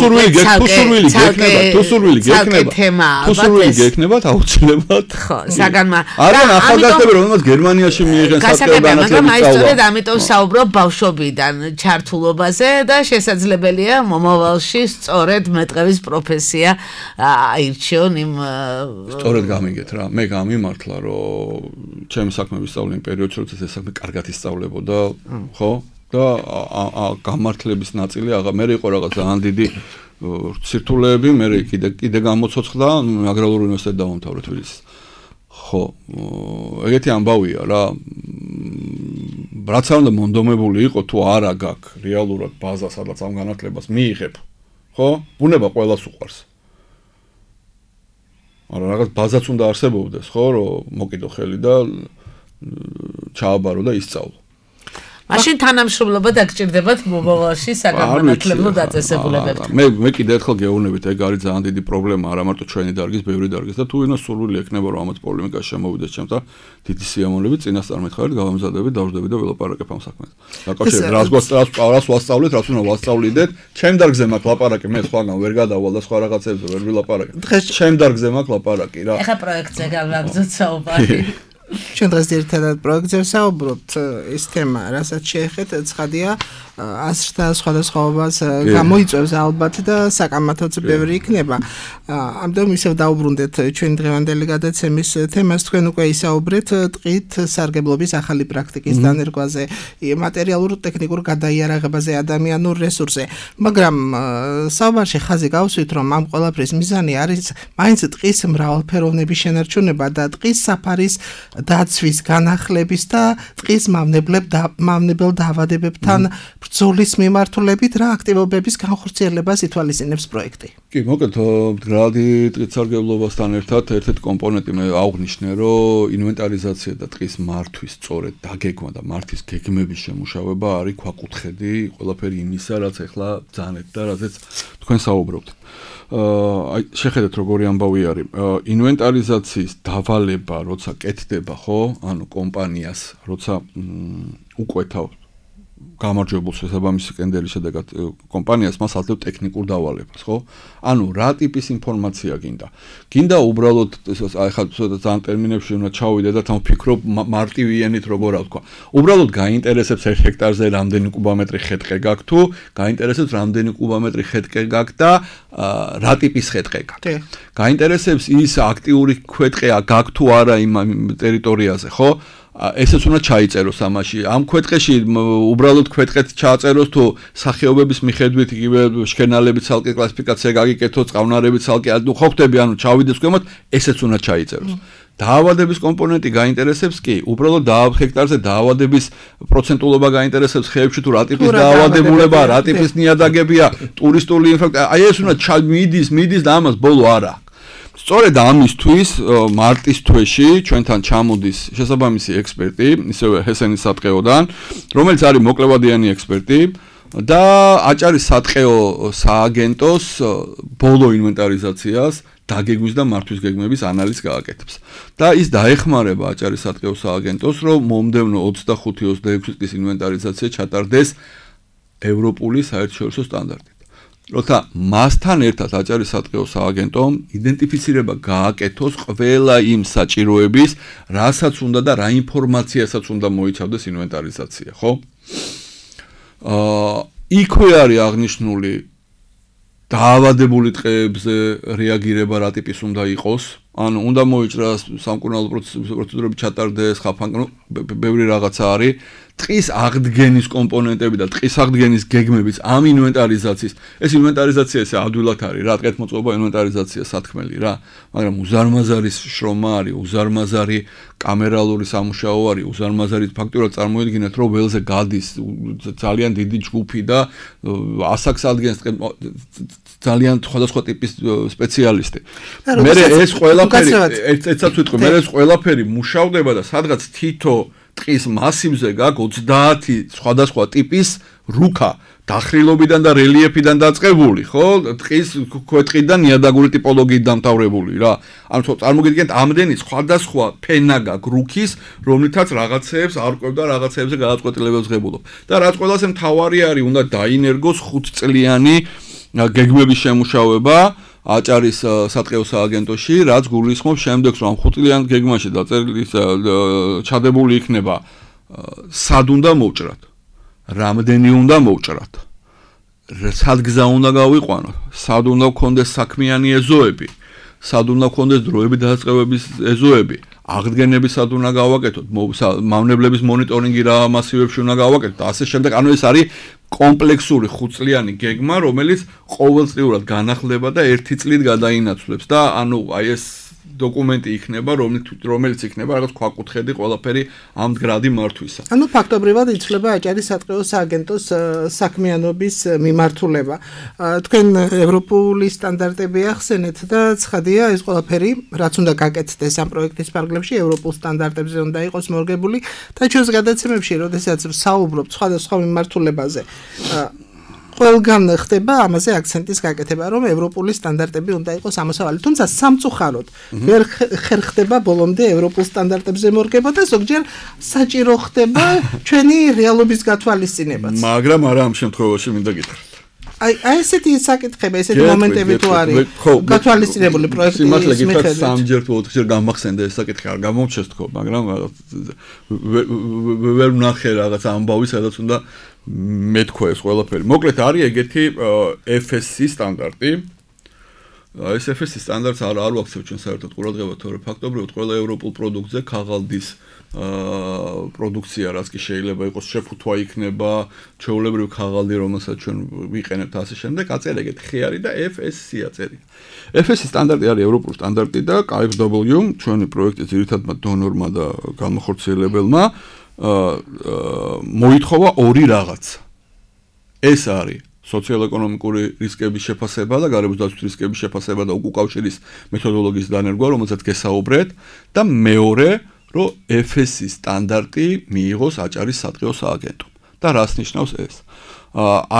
თუსურვილი გექნება აუცილებლად. ხო, საგანმა. არა, ახალგაზრდები რომელსაც გერმანიაში მიიღენ სატყეო განათლების სწავლება. ამიტომ საუბრობ ბავშვობიდან ჩართულობაზე და შესაძლებელია მომავალში სწორედ მეტყევის პროფესია აირჩიონ იმ სწორედ გამიგეთ რა. მე გამიმართლა რომ ჩემი საქმეების სწავლის პერიოდში როცა ეს საქმე კარგად ისწავლებოდა, ხო? და გამართლების ნაწილი მე იყო რაღაც ძალიან დიდი სირთულეები, მე კიდე გამოცოცხლა, აგრარული უნივერსიტეტი დავამთავრე თბილისის. ხო, ეგეთი ამბავია რა. რაც არ უნდა მონდომებული იყო თუ არა გაქვს რეალურად ბაზა, სადაც ამ განათლებას მიიღებ. ხო? ბუნება ყველას უყვარს. არა, რაღაც ბაზაც უნდა არსებობდეს, ხო, რომ მოკიდო ხელი და ჩააბარო და ისწავლო. მაშინ თანამშრომლობა დაგჭირდებათ მომავალში საგანმანათლებლო დაწესებულებებთან. მე კიდე ერთხელ გეუბნებით, ეგ არის ძალიან დიდი პრობლემა, არა მარტო ჩვენი დარგის, ბევრი დარგის და თუ ვინმე სურვილი ექნება რომ ამათ პოლემიკაში შემოვიდეს ჩემთან, დიდი სიამოვნებით წინასწარ მითხარით, გავამზადებით, დავждები და ველაპარაკებ ამ საქმეს. დაკავშირებით რას ვასწავლეთ, რას უნდა ვასწავლიდეთ, ჩემ დარგზე მაქვს ლაპარაკი, მე სხვაგან ვერ გადავალ და სხვა რაღაცებზე ვერ ვილაპარაკე. ჩემ დარგზე მაქვს ლაპარაკი რა. ეხა პროექტზე გავაგზავნოთ საუბარი. ჩვენ დღეს ერთადად პროექტზე საუბრობთ, ეს თემა, რასაც შეეხეთ, ცხადია, ასრთა სხვადასხვაობას გამოიწვევს ალბათ და საკამათოც ბევრი იქნება. ამიტომ ისევ დაუბრუნდეთ ჩვენი დღევანდელი გადაცემის თემას, თქვენ უკვე ისაუბრეთ ტყით სარგებლობის ახალი პრაქტიკის დანერგვაზე, მატერიალურ ტექნიკურ გადაიარაღებაზე, ადამიანურ რესურსზე, მაგრამ საუბარში ხაზი გავსვით, რომ ამ ყველაფრის მიზანი არის მაინც ტყის მრავალფეროვნების შენარჩუნება და ტყის საფარის დაცვის, განახლების და ტყის მავნებელ დაავადებებთან ბრძოლის მიმართულებით რა აქტივობების განხორციელებას ითვალისწინებს პროექტი? კი, მოკლედ, მდგრადი ტყით სარგებლობასთან ერთად ერთ-ერთი კომპონენტი მე აღვნიშნე, რომ ინვენტარიზაცია და ტყის მართვის სწორედ დაგეგმა და მართვის გეგმების შემუშავება არის ქვაკუთხედი ყველაფერი იმისა, რაც ახლა ბრძანეთ და რაზეც თქვენ საუბრობთ. აი შეხედეთ როგორი ამბავი არის. ინვენტარიზაციის დავალება, როცა კეთდება, ხო? ანუ კომპანიას, როცა უკვეთავ გამარჯვებულ შესაბამისი კენდერის შედეგად კომპანიას მას აძლევს ტექნიკურ დავალებას, ხო? ანუ რა ტიპის ინფორმაცია გინდა? გინდა უბრალოდ აი ხა ძალიან ტერმინებში უნდა ჩავიდე და თან ვფიქრობ მარტივიანით როგორ ვთქვა. უბრალოდ გაინტერესებს 1 ჰექტარზე რამდენი კუბომეტრი ხეთყე გაქვს თუ გაინტერესებს რამდენი კუბომეტრი ხეთყე გაქვს და რა ტიპის ხეთყე გაქვს. გაინტერესებს ის აქტიური ქვეტყეა გაქვს თუ არა იმ ტერიტორიაზე, ხო? ესეც უნდა ჩაიწეროს ამაში. ამ ქვეტყეში უბრალოდ ქვეტყეთ ჩააწეროს თუ სახეობების მიხედვით იგივე შქენალების ცალკე კლასიფიკაცია გაგიკეთოს, წყალნარების ცალკე, ანუ ხო ხტები, ანუ ჩავიდეს ქვემოთ, ესეც უნდა ჩაიწეროს. დაავადების კომპონენტი გაინტერესებს კი, უბრალოდ ჰექტარზე დაავადების პროცენტულობა გაინტერესებს ხეებში თუ რა ტიპის დაავადებულება, რა ტიპის ნიადაგებია, ტურისტული ინფრასტრუქტურა. აი ეს უნდა მიდის და ამას ბოლო არა. სწორედ ამისთვის მარტის თვეში ჩვენთან ჩამოდის შესაბამისი ექსპერტი, ისევე ჰესენის სატყეოდან, რომელიც არის მოკლევადიანი ექსპერტი და აჭარის სატყეო სააგენტოს ბოლო ინვენტარიზაციას დაგეგმვის და მართვის გეგმების ანალიზს გააკეთებს. და ის დაეხმარება აჭარის სატყეო სააგენტოს, რომ მომდევნო 25-26 წლის ინვენტარიზაცია ჩატარდეს ევროპული საერთაშორისო სტანდარტით. როცა მასთან ერთად აჭარის სატყეო სააგენტომ იდენტიფიცირება გააკეთოს ყველა იმ საჭიროების, რასაც უნდა და რა ინფორმაციასაც უნდა მოიცავდეს ინვენტარიზაცია, ხო? იქვე არის აღნიშნული დაავადებული ტყეებზე რეაგირება რა ტიპის უნდა იყოს, ანუ უნდა მოიჭრას სამკურნალო პროცედურები ჩატარდეს, ბევრი რაღაცა არის. ტყის აღდგენის კომპონენტები და ტყის აღდგენის გეგმების ამ ინვენტარიზაციის, ეს ინვენტარიზაცია ესე ადვილად არის რა, ტყეთმოწყობა ინვენტარიზაცია სათქმელი რა, მაგრამ უზარმაზარი შრომა არის, უზარმაზარი კამერალური სამუშაო არის, უზარმაზარი ფაქტურად წარმოიდგინეთ, რომ ველზე გადის ძალიან დიდი ჯგუფი და ასაკს ადგენს ძალიან სხვადასხვა ტიპის სპეციალისტი. მე ეს ყველაფერი ერთსაც ვიტყვი, მე ეს ყველაფერი მუშავდება და სადღაც თითო ტყის მასივზე გაქვს 30 სხვადასხვა ტიპის რუქა დახრილობიდან და რელიეფიდან დაწყებული, ხო? ტყის ქვეტყიდან ნიადაგური ტიპოლოგიით დამთავრებული რა. ანუ წარმოგიდგენთ, ამდენი სხვადასხვა ფენა გაქვს რუქის, რომლითაც რაღაცეებს არკვევ და რაღაცეებზე გადაწყვეტილებებს ღებულობ. და რაც ყველაზე მთავარი არის, უნდა დაინერგოს 5 წლიანი გეგმების შემუშავება აჭარის სატყეო სააგენტოში, რაც გულისხმობს შემდეგს, რომ 5 წლიან გეგმაში დაწერილი ჩადებული იქნება სად უნდა მოვჭრათ, რამდენი უნდა მოვჭრათ, სად გზა უნდა გავიყვანოთ, სად უნდა გქონდეს საქმიანი ეზოები, სად უნდა გქონდეს დროებით დასაწყებების ეზოები, აღდგენები სად უნდა გავაკეთოთ, მავნებლების მონიტორინგი რა მასივებში უნდა გავაკეთოთ, ასე შემდეგ. ანუ ეს არის კომპლექსური 5 წლიანი გეგმა, რომელიც ყოველწლიურად განახლდება და 1 წლით გადაინაცვლებს და ანუ აი ეს დოკუმენტი იქნება, რომელიც იქნება რაღაც ქვაკუთხედი ყველაფერი ამ მდგრადი მართვისა. ანუ ფაქტობრივად იცვლება აჭარის სატყეო სააგენტოს საქმიანობის მიმართულება. თქვენ ევროპული სტანდარტები ახსენეთ და ცხადია ეს ყველაფერი, რაც უნდა გაკეთდეს ამ პროექტის ფარგლებში, ევროპულ სტანდარტებზე უნდა იყოს მორგებული და ჩვენს გადაცემებში, როდესაც საუბრობთ სხვადასხვა მიმართულებაზე, ყველგან ხდება ამაზე აქცენტის გაკეთება, რომ ევროპული სტანდარტები უნდა იყოს ამოსავალი. თუმცა სამწუხაროდ ვერ ხერხდება ბოლომდე ევროპულ სტანდარტებზე მორგება და ზოგჯერ საჭირო ხდება ჩვენი რეალობის გათვალისწინებაც. მაგრამ არა ამ შემთხვევაში მინდა გითხრათ. აი ესეთი საკითხები, ესეთი მომენტები თუ არის გათვალისწინებული პროექტის მიხედვით. სიმართლე გითხრათ, სამჯერ თუ 4-ჯერ გამახსენდა ეს საკითხი, არ გამომჩეს თქო, მაგრამ ვერ ვნახე რაღაც ამბავი, სადაც უნდა მეთქვა ეს ყველაფერი. მოკლედ არის ეგეთი FSC სტანდარტი. ეს FSC სტანდარტს არ ვაქცევ ჩვენ საერთოდ ყურადღებას, თორე ფაქტობრივად ყველა ევროპულ პროდუქტზე ქაღალდის პროდუქცია, რაც კი შეიძლება იყოს შეფუთვა იქნება, ჩვეულებრივი ქაღალდი, რომელსაც ჩვენ ვიყენებთ ასე შემდეგ, აწერია ეგეთი ხიარი და FSC აწერია. FSC სტანდარტი არის ევროპული სტანდარტი და KfW, ჩვენი პროექტის ძირითადმა დონორმა და განმახორციელებელმა მოითხოვა ორი რაღაც. ეს არის სოციალ-ეკონომიკური რისკების შეფასება და გარემოს დაცვის რისკების შეფასება და უკავშირის მეთოდოლოგიის დანერგვა, რომელსაც გესაუბრეთ და მეორე, რომ FSC სტანდარტი მიიღოს აჭარის სატყეო სააგენტომ. და რას ნიშნავს ეს?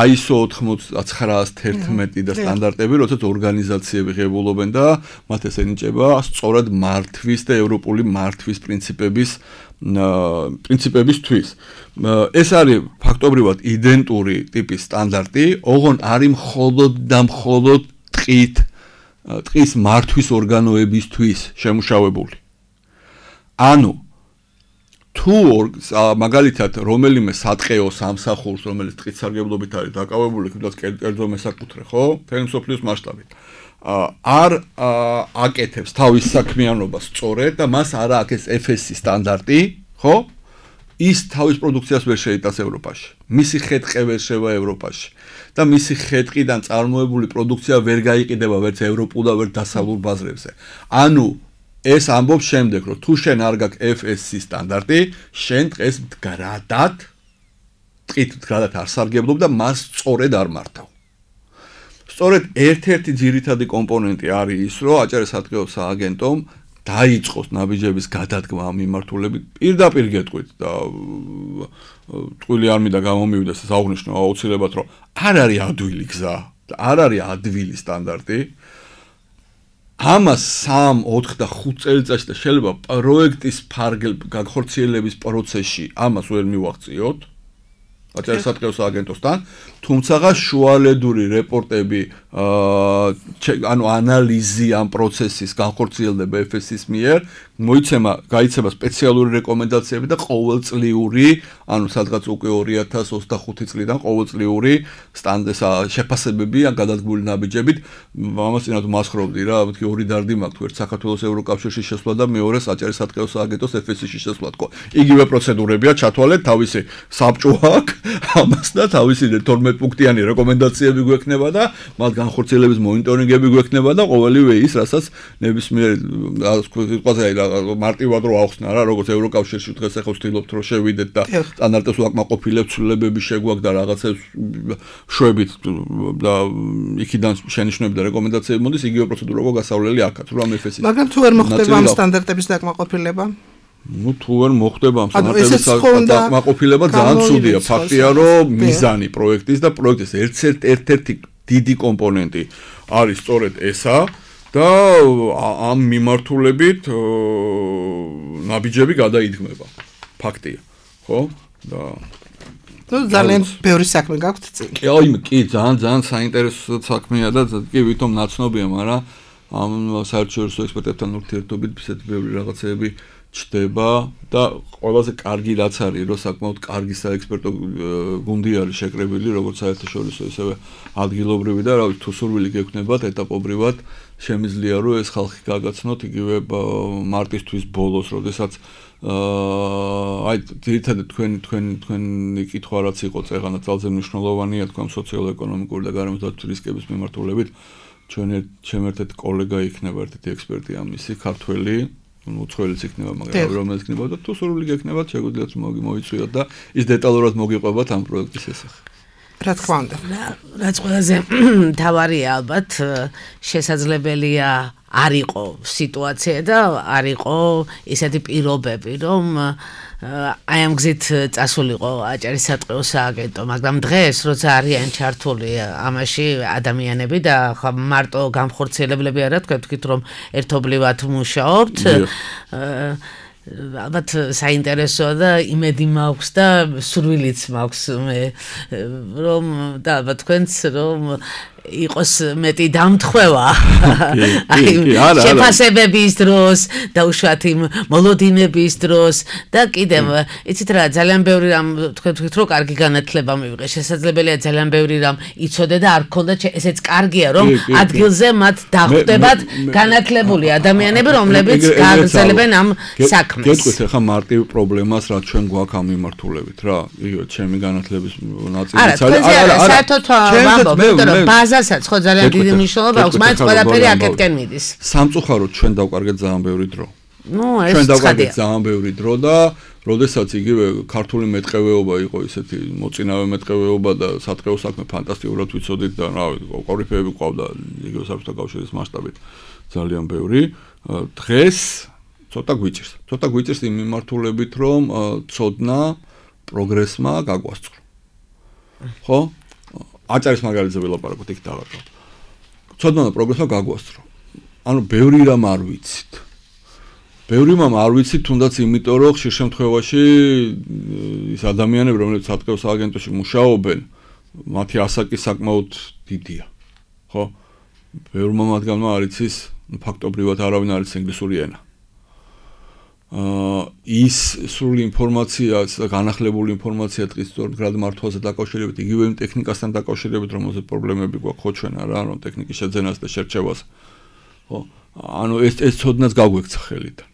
ISO 9911 და სტანდარტები, როდესაც ორგანიზაციები ღებულობენ და მათ ეს ენიჭება სწორად მართვის და ევროპული მართვის პრინციპებისთვის. ეს არის ფაქტობრივად იდენტური ტიპის სტანდარტი, ოღონ არის მხოლოდ და მხოლოდ ტყის მართვის ორგანოებისთვის შემუშავებული. ანუ თუ მაგალითად რომელიმე სატყეო სამსახურს, რომელიც ტყით სარგებლობით არის დაკავებული, თუნდაც კერძო მესაკუთრე, ხო? მთელი მსოფლიოს მასშტაბით. არ აკეთებს თავის საქმიანობას სწორედ და მას არ აქვს FSC სტანდარტი, ხო? ის თავის პროდუქციას ვერ შეიტანს ევროპაში. მისი ხეთყი ვერ შევა ევროპაში და მისი ხეთყიდან წარმოებული პროდუქცია ვერ გაიყიდება ვერც ევროპულ და ვერც დასავლურ ბაზრებზე. ანუ ეს ამბობს შემდეგ, რომ თუ შენ არ გაქვს FSC სტანდარტი, შენ დღეს მდგრადად არ სარგებლობ და მას სწორედ არ მართავ. სწორედ ერთ-ერთი ძირითადი კომპონენტი არის ის, რომ აჭარის სატყეო სააგენტომ დაიწყოს ნაბიჯების გადადგმა ამ მიმართულებით. პირდაპირ გეტყვით და ტყვილი არ მინდა გამომივიდეს ეს აღნიშნო აუცილებლად, რომ არ არის ადვილი გზა და არ არის ადვილი სტანდარტი. ამას 3, 4 და 5 წელიწადში და შეიძლება პროექტის განხორციელების პროცესში ამას ვერ მივაღწიოთ აჭარის სატყეო სააგენტოსთან, თუმცა შუალედური რეპორტები, ანუ ანალიზი ამ პროცესის განხორციელდება FSC-ის მიერ, გაიცემა სპეციალური რეკომენდაციები და ყოველწლიური, ანუ სადღაც უკვე 2025 წლიდან ყოველწლიური შეფასებები ან გადადგმული ნაბიჯებით, ამას წინათ მასხრობდი რა, მეთქი ორი დარდი მაქვს, ერთ საქართველოს ევროკავშირში შესვლა და მეორე აჭარის სატყეო სააგენტოს FSC-ში შესვლა თქო. იგივე პროცედურებია ჩათვალეთ, თავისი საბჭო აქვს, ამას და თავისი 12 პუნქტიანი რეკომენდაციები გვექნება და მათ განხორციელების მონიტორინგები გვექნება და ყოველივე ის, რასაც ნებისმიერ მარტივად რო ახსნა რა, როგორც ევროკავშირში დღეს ახლა ვცდილობთ რომ შევიდეთ და სტანდარტებს ვაკმაყოფილებთ, ცვლილებები შეგვაქვს და რაღაცებს შვებით და იქიდან შენიშვნები და რეკომენდაციები მოდის, იგივე პროცედურა გასავლელი აქაც, რომ FSC-ის. მაგრამ თუ ვერ მოხდება ამ სტანდარტების დაკმაყოფილება? თუ ვერ მოხდება ამ სტანდარტების დაკმაყოფილება, ძალიან ცუდია. ფაქტია, რომ მიზანი პროექტის და პროექტის ერთ-ერთი დიდი კომპონენტი არის სწორედ ესა და ამ მიმართულებით ნაბიჯები გადაიდგმება. ფაქტია, ხო? და ნუ ძალიან ბევრი საქმე გაქვთ წინ. კი, ძალიან საინტერესო საქმეა და კი ვითომ ნაცნობია, მაგრამ ამ საერთაშორისო ექსპერტებთან ურთიერთობით ისეთი ბევრი რაღაცეები ჩდება და ყველაზე კარგი რაც არის, რომ საკმაოდ კარგი საექსპერტო გუნდი არის შეკრებილი, როგორც საერთაშორისო, ისევე ადგილობრივი და რა ვიცი, თუ სურვილი გექნებათ ეტაპობრივად, შემიძლია რომ ეს ხალხი გაგაცნოთ იგივე მარტისთვის ბოლოს, როდესაც აი ძირითადად თქვენი კითხვა რაც იყო წეღანა ძალზე მნიშვნელოვანია თქვენ სოციო-ეკონომიკური და გარემოსდაცვის რისკების მიმართულებით ჩემ ერთ-ერთი კოლეგა იქნება ერთ-ერთი ექსპერტი ამისი ქართველი უცხოელიც იქნება მაგრამ რომელიც იქნება და თუ სურვილი გექნებათ შეგვიძლიათ მოიწვიოთ და ის დეტალურად მოგიყვებათ ამ პროექტის შესახებ რა თქმა უნდა რაც ყველაზე მთავარია ალბათ შესაძლებელია არ იყო სიტუაცია და არ იყო ისეთი პირობები რომ აი ამ გზით წასულიყო აჭარისატყეო სააგენტო მაგრამ დღეს როცა არიან ჩართული ამაში ადამიანები და მარტო გამხორციელებლები არა თქვით რომ ერთობლივად მუშაობთ ალბათ საინტერესოა და იმედი მაქვს და სურვილიც მაქვს მე რომ და ალბათ თქვენც რომ იყოს მეტი დამთხევა აი შეფასებების დროს და უშუალოდ იმ მოლოდინების დროს და კიდევ იცით რა ძალიან ბევრი რამ თქვით რომ კარგი განათლება მივიღე შესაძლებელია ძალიან ბევრი რამ იცოდე და არ გქონდა ესეც კარგია რომ ადგილზე მათ დახვდებათ განათლებული ადამიანები რომლებიც გააგრძელებენ ამ საქმეს გეტყვით ახლა მარტივ პრობლემას რაც ჩვენ გვაქვს ამ მიმართულებით რა იგივე ჩემი განათლების ნაწილიც არის არა საერთოდ ვამბობ ბაზასაც ხო ძალიან დიდი მნიშვნელობა აქვს მაინც ყველაფერი აქეთკენ მიდის სამწუხაროდ ჩვენ დავკარგეთ ძალიან ბევრი დრო ნუ ეს ჩვენ დავკარგეთ ძალიან ბევრი დრო და როდესაც იგივე ქართული მეტყევეობა იყო ისეთი მოწინავე მეტყევეობა და სატყეო საქმე ფანტასტიკურად ვიცოდით და რა ვიცი კორიფეები ყავდა იგივე საბჭოთა კავშირის მასშტაბით ძალიან ბევრი დღეს ცოტა გვიჭირს იმ მიმართულებით რომ ცოდნა პროგრესმა გაგვასწრო ხო აჭარის მაგალითზე ველაპარაკოთ იქ დავარქვა ცოდნა და პროგრესმა გაგვასწრო ანუ ბევრი რამ არ ვიცით არ ვიცით თუნდაც იმიტომ რომ ხშირ შემთხვევაში ის ადამიანები რომლებიც სატყეო სააგენტოში მუშაობენ მათი ასაკი საკმაოდ დიდია ხო ბევრმა მათგანმა არ იცის ფაქტობრივად არავინ არ იცის ინგლისური ენა ის სრული ინფორმაცია და განახლებული ინფორმაცია დღის სწორად მართვაზე დაკავშირებით იგივე იმ ტექნიკასთან დაკავშირებით რომელზეც პრობლემები გვაქვს ხო ჩვენ არა რომ ტექნიკის შეძენას და შერჩევას ხო ანუ ეს ცოდნაც გაგვექცა ხელიდან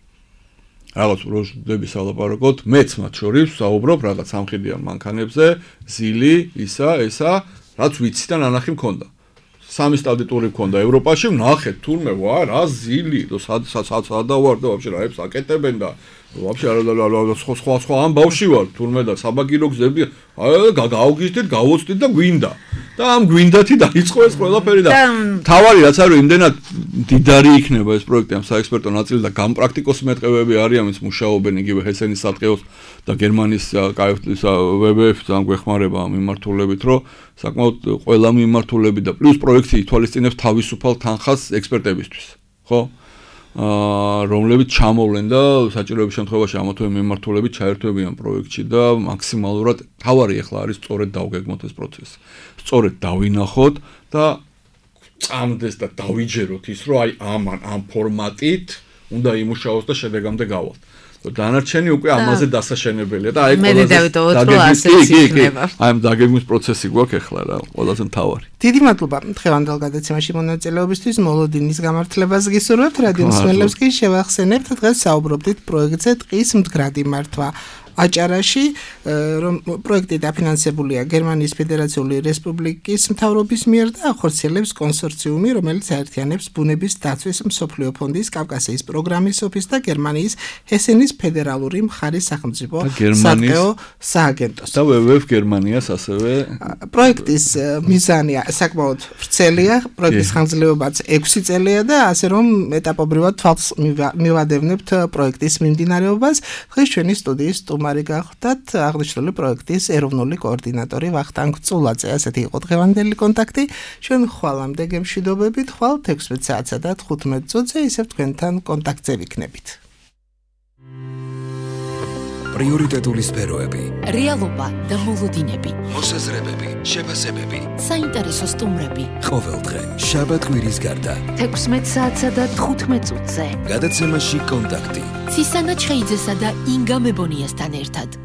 რაღაც პროჟექტები სალაპარაკოთ მეც მათ შორის საუბრობ რაღაც სამხედრიან მანქანებზე ზილი ისა რაც ვიცი და ნანახი მქონდა სამი სტატიტური მქონდა ევროპაში ვნახეთ თურმე ვა რა ზილი და სადა ვარ და ვაფშე რაებს აკეტებენ და ვაფშე სხვა ამბავში ვარ თურმე და საბაგირო გზები გავგიშდით გავოცდით და გვინდა და ამ გვინდათი დაიწყო ეს ყველაფერი და თავარი რაც არის იმდენად დიდარი იქნება ეს პროექტი ამ საექსპერტო ნაწილი და გამპრაქტიკოსი მეტყევეები არიან ვინც მუშაობენ იგივე ჰესენის სატყეოს და გერმანიის KfW-ის WWF ძალიან გვეხმარება ამ მიმართულებით რომ საკმაოდ ყველა მიმართულები და პლუს პროექტი ითვალისწინებს თავისუფალ თანხას ექსპერტებისთვის ხო რომლებიც ჩამოვლენ და საჭიროების შემთხვევაში ამა თუ იმ მიმართულებით ჩაერთვებიან პროექტში და მაქსიმალურად თავარი ახლა არის სწორედ დავგეგმოთ ეს პროცესი. სწორედ დავინახოთ და წამდეს და დავიჯეროთ ის რომ აი ამ ფორმატით უნდა იმუშაოს და შედეგამდე გავალთ. დანარჩენი უკვე ამაზე დასაშენებელია და აი ამ დაგეგმვის პროცესი გვაქვს ახლა რა ყველაზე მთავარი. დიდი მადლობა დღევანდელ გადაცემაში მონაწილეობისთვის მოლოდინის გამართლებას გისურვებთ რადიო მსმენელებს კი შევახსენებთ დღეს საუბრობდით პროექტზე ტყის მდგრადი მართვა აჭარაში რომ პროექტი დაფინანსებულია გერმანიის ფედერაციული რესპუბლიკის მთავრობის მიერ და ახორციელებს კონსორციუმი რომელიც აერთიანებს ბუნების დაცვის მსოფლიო ფონდის კავკასიის პროგრამის ოფისს და გერმანიის ჰესენის ფედერალური მხარის სახელმწიფო სატყეო სააგენტოს და WWF გერმანიას ასევე პროექტის მიზანი საკმაოდ ვრცელია პროექტის ხანგრძლივობაც 6 წელია და ასე რომ ეტაპობრივად თვალს მივადევნებთ პროექტის მიმდინარეობას დღეს ჩვენი სტუდიის მარი გახდათ აღნიშნული პროექტის ეროვნული კოორდინატორი ვახტანგ წულაძე. ასეთი იყო დღევანდელი კონტაქტი. ჩვენ ხვალამდე გემშვიდობებით, ხვალ 16 საათსა და 15 წუთზე ისევ თქვენთან კონტაქტზე ვიქნებით. პრიორიტეტული სფეროები, რეალობა და მოლოდინები, მოსაზრებები, შეფასებები. საინტერესო სტუმრები. ყოველდღე, შაბათ-კვირის გარდა. 16 საათსა და 15 წუთზე. გადაცემაში კონტაქტი. ცისანა ჩხეიძესა და ინგა მებონიასთან ერთად.